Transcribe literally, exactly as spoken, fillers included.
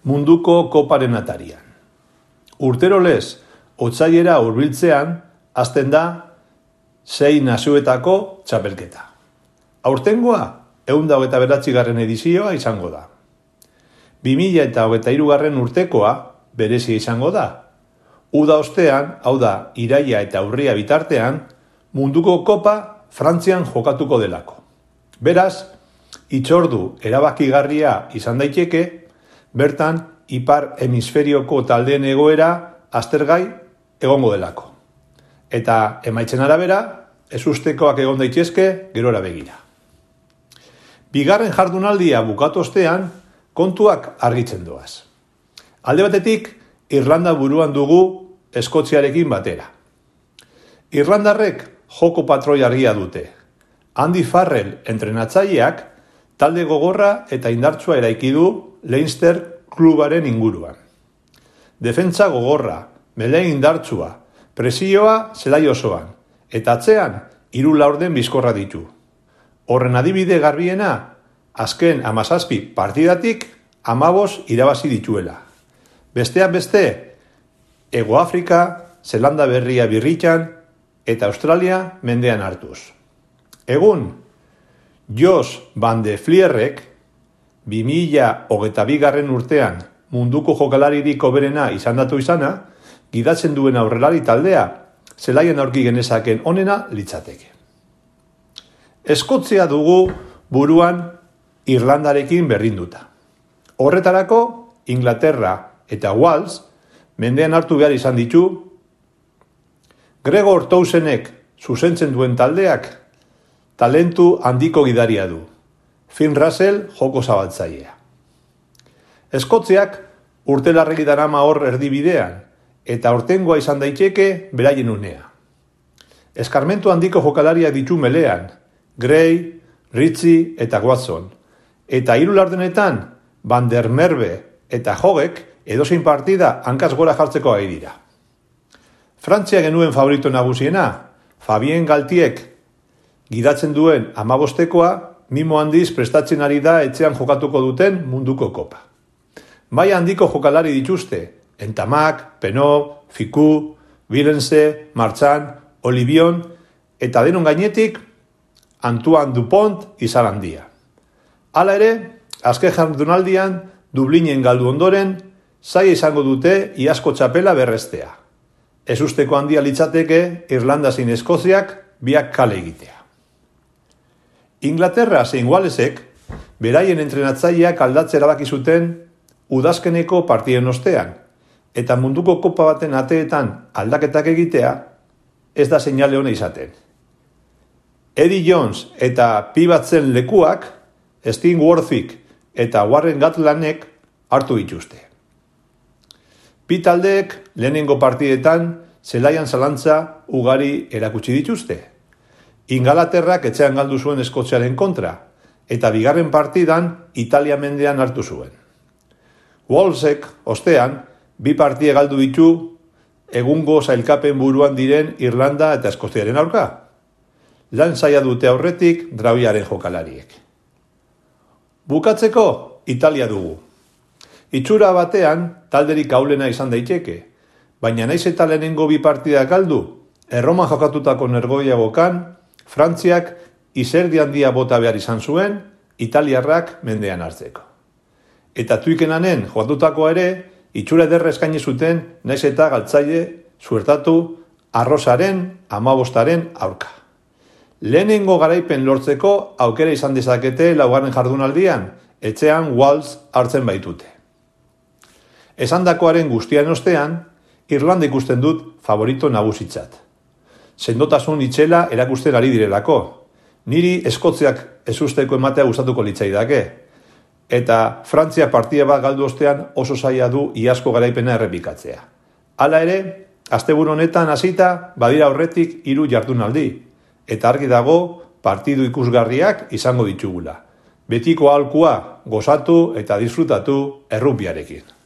munduko koparen atarian. Urtero lez, otsailera hurbiltzean, hasten da sei nazioetako txapelketa. Aurtengoa, ehun eta hogeita bederatzigarren edizioa izango da. bi mila hogeita hirugarren urtekoa berezia izango da. Uda ostean, hau da, iraila eta urria bitartean, munduko kopa Frantzian jokatuko delako. Beraz, hitzordu erabakigarria izan daiteke, bertan ipar hemisferioko taldeen egoera aztergai egongo delako. Eta emaitzen arabera, ezustekoak egon daitezke gerora begira. Bigarren jardunaldia bukatu ostean, kontuak argitzen doaz. Alde batetik, Irlanda buruan dugu Eskoziarekin batera. Irlandarrek joko patroi argia dute. Andy Farrell entrenatzaileak talde gogorra eta indartsua eraiki du Leinster klubaren inguruan. Defentsa gogorra, mele indartsua, presioa zelai osoan, eta atzean hiru laurden bizkorra ditu. Horren adibide garbiena, azken hamazazpi partidatik hamabost irabazi dituela. Besteak beste, Hego Afrika, Zelanda Berria birritan eta Australia mendean hartuz. Egun, Jos van de Vlierrek bi mila hogeita bigarren urtean munduko jokalaririk hoberena izendatu izana, gidatzen duen aurrelari taldea, zelaian aurki genezaken onena litzateke. Eskozia dugu buruan Irlandarekin berdinduta. Horretarako, Inglaterra eta Wales mendean hartu behar izan ditu. Gregor Townsendek zuzentzen duen taldeak talentu handiko gidaria du. Finn Russell joko zabaltzailea. Eskoziak urtelarregi darama hor erdibidean eta aurtengoa izan daiteke beraien unea. Eskarmentu handiko jokalariak ditu melean, Gray, Ritchie eta Watson. Eta hiru laurdenetan Van der Merwe eta Hogek edozein partida hankaz gora jartzeko ari dira. Frantzia genuen favorito nagusiena, Fabien Galtiek gidatzen duen hamabostekoa, mimo handiz prestatzen ari da etxean jokatuko duten munduko kopa. Bai handiko jokalari dituzte, Entamak, Penot, Fiku, Vilense, Marchand, Olivion, eta denon gainetik, Antoine Dupont izan handia. Hala ere, azken jardunaldian, Dublinen galdu ondoren, zaila izango dute iazko txapela berrestea. Ezusteko handia litzateke Irlanda zein Eskoziak biak kale egitea. Inglaterra zein Walesek beraien entrenatzaileak aldatze erabaki zuten udazkeneko partiden ostean, eta munduko kopa baten ateetan aldaketak egitea ez da seinale ona izaten. Eddie Jones eta pi batzen lekuak Steve Worthik eta Warren Gatlandek hartu dituzte. Bi taldeek lehenengo partidetan zelaian zalantza ugari erakutsi dituzte. Ingalaterrak etxean galdu zuen Eskoziaren kontra, eta bigarren partidan Italia mendean hartu zuen. Walesek, ostean, bi partie galdu ditu egungo sailkapen buruan diren Irlanda eta Eskoziaren aurka. Lan zaila dute aurretik drauiaren jokalariek. Bukatzeko, Italia dugu. Itxura batean, talderik aulena izan daiteke, baina naiz eta lehenengo bi partida galdu, Erroman jokatutako nergoiagokan, Frantziak izerdi handia bota behar izan zuen, italiarrak mendean hartzeko. Eta tuikenanen jokatutakoa ere, itxura ederra eskaini zuten naiz eta galtzaile zuertatu arrozaren, hamabostaren aurka. Lehenengo garaipen lortzeko aukera izan dezakete laugarren jardunaldian, etxean Wales hartzen baitute. Esandakoaren guztian ostean, Irlanda ikusten dut favorito nagusitzat. Sendotasun itxela erakusten ari direlako. Niri Eskoziak ezusteko ematea gustatuko litzaidake. Eta Frantzia partida bat galdu ostean oso zaila du iazko garaipena errepikatzea. Hala ere, asteburu honetan hasita badira aurretik hiru jardunaldi. Eta argi dago partidu ikusgarriak izango ditugula. Betiko aholkua gozatu eta disfrutatu errugbiarekin.